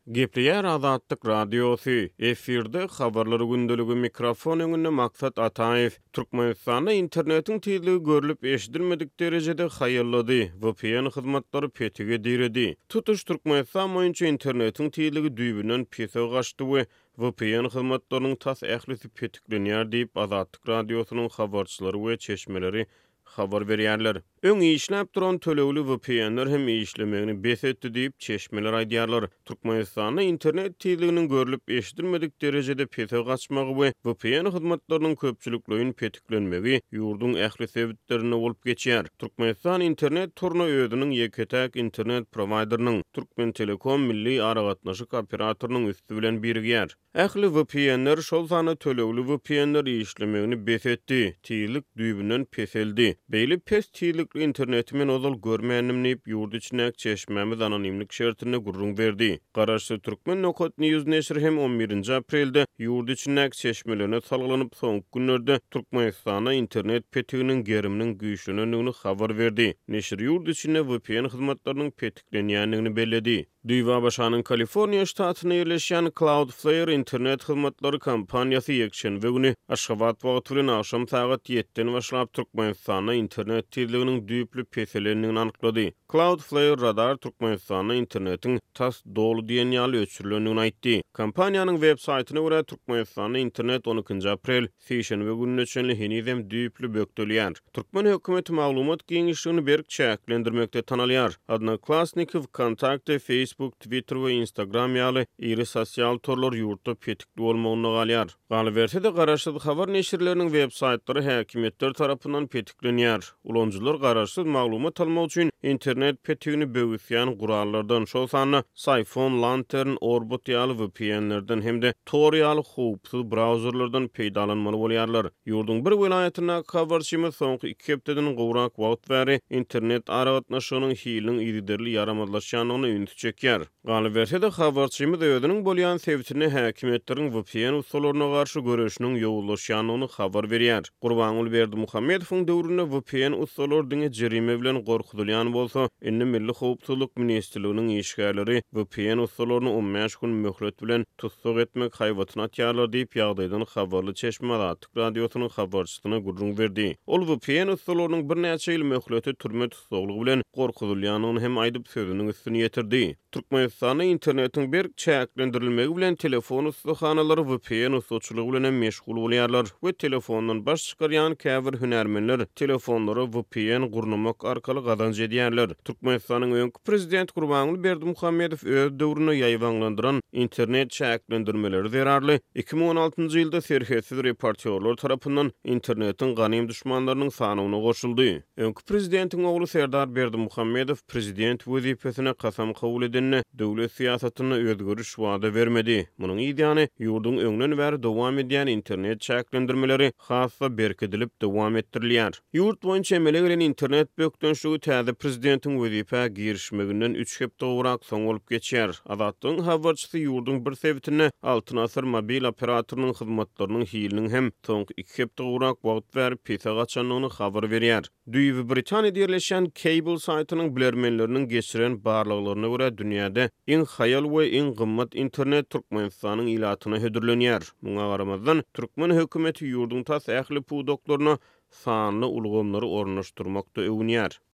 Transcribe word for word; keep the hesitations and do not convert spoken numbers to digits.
Gepleýär Azatlyk Radiosy, efirde Habarlar gündeligi, mikrofon öňünde Maksat Ataýew. Türkmenistanda internetiň tizligi görlüp eşidilmedik derejede haýallady, V P N hyzmatlary petige diredi. Tutuş Türkmenistan boýunça internetiň tizligi düýbünden pese gaçdy we V P N hyzmatlarynyň tas ählisi petiklenýär diýip, Azatlyk Radiosynyň habarçylary we çeşmeleri habar berýärler. Öň işläp duran tölegli V P N-ler hem işlemegini bes etdi diýip, çeşmeler aýdýarlar. Türkmenistanda internet tizliginiň görlüp eşidilmedik derejede pese gaçmagy we V P N hyzmatlarynyň köpçülikleýin petiklenmegi ýurduň ähli sebitlerinde bolup geçýär. Türkmenistan internet toruna özüniň ýeke-täk internet prowaýderiniň, Türkmen Telekom milli aragatnaşyk operatorynyň üsti bilen birigýär. Ähli V P N-ler, şol sanda tölegli V P N-ler işlemegini bes etdi. Tizlik düýbünden peseldi. Beýle pes tizlikli interneti men ozal görmändim diýip, ýurt içindäki çeşmämiz anonimlik şertinde gürrüň berdi. Garaşsyz Türkmen Nokat News neşiri hem on birinji aprelde ýurt içindäki çeşmelerine salgylanyp, soňky günlerde Türkmenistanda internet petiginiň geriminiň güýçlenendigini habar berdi. Neşir ýurt içinde V P N hyzmatlarynyň petiklenýändigini belledi. Düýbi A B Ş-nyň Kaliforniýa ştatynda ýerleşýän Cloudflare internet hyzmatlary kompaniýasy ýekşenbe güni Aşgabat wagty bilen agşam sagat ýediden başlap Türkmenistanda internet tizliginiň düýpli peselendigini anyklady. Cloudflare Radar Türkmenistanda internetiň tas doly diýen ýaly öçürilendigini aýtdy. Kompaniýanyň web saýtyna görä, Türkmenistanda internet on ikinji aprel sişenbe gününe çenli henizem düýpli bökdelýär. Türkmen hökümeti maglumat giňişligini berk çäklendirmekde tanalýar. Odnoklassniki, VKontakte, Facebook, Twitter we Instagram ýaly iri sosial torlar ýurtda petikli bolmagynda galýar. Galyberse-de, garaşsyz habar neşirleriniň web saýtlary häkimiýetler tarapyndan petiklenýär. Ulanyjylar garaşsyz maglumat almak üçin internet petigini böwüsýän gurallardan, şol sanda Psiphon, Lantern, Orbot ýaly V P N-lerden hem-de Tor ýaly howpsuz brauzerlerden peýdalanmaly bolýarlar. Ýurduň bir welaýatyndaky habarçymyz soňky iki hepdeden gowrak wagt bäri internet aragatnaşygynyň hiliniň yzygiderli ýaramazlaşýandygyna ünsi çekýär. Galyberse-de, habarçymyz özüniň bolýan sebitinde häkimiýetleriň V P N ussalaryna garşy göreşiniň ýowuzlaşýandygyny habar berýär. Gurbanguly Berdimuhamedowyň döwründe V P N ussalary diňe jerime bilen gorkuzylýan bolsa, indi Milli howpsuzlyk ministrliginiň işgärleri V P N ussalaryny on bäş gün möhlet bilen tussag etmek haýbatyny atýarlar diýip, ýagdaýdan habarly çeşme Azatlyk Radiosynyň habarçysyna gürrüň berdi. Ol V P N ussalarynyň birnäçe ýyl möhleti türme tussaglygy bilen gorkuzylýandygyny hem aýdyp, sözüniň üstüni ýetirdi. Türkmenistanda internetiň berk çäklendirilmegi bilen telefon ussahanalary V P N ussaçylygy bilen hem meşgul bolýarlar we telefondan baş çykarýan käbir hünärmenler telefonlara V P N gurnamak arkaly gazanç edýärler. Türkmenistanyň öňki prezident Gurbanguly Berdimuhamedow öz döwründe ýaýbaňlandyran internet çäklendirmeleri zerarly iki müň on altynjy ýylda Serhetsiz reportýorlar tarapyndan internetiň ganym duşmanlarynyň sanawyna goşuldy. Öňki prezidentiň ogly Serdar Berdimuhamedow prezident wezipesine kasam kabul edende döwlet syýasatynda özgeriş wada bermedi. Munuň ýany ýurduň öňden bäri dowam edýän internet çäklendirmeleri has-da berkidilip dowam etdirilýär. Ýurt boýunça emele gelen internet bökdençligi täze prezidentiň wezipä girişmeginden üç hepde gowrak soň bolup geçýär. Azatlygyň habarçysy ýurduň bir sebitinde Altyn Asyr mobil operatorynyň hyzmatlarynyň hiliniň hem soňky iki hepde gowrak wagt bäri pese gaçandygyny habar berýär. Düýbi Britaniýada ýerleşýän Cable saýtynyň bilermenleriniň geçiren barlaglaryna görä, dünýäde iň haýal we iň gymmat internet Türkmenistanyň ilatyna hödürlenýär. Muňa garamazdan, türkmen hökümeti ýurduň tas ähli pudaklaryna sanly ulgamlary ornaşdyrmakda öwünýär.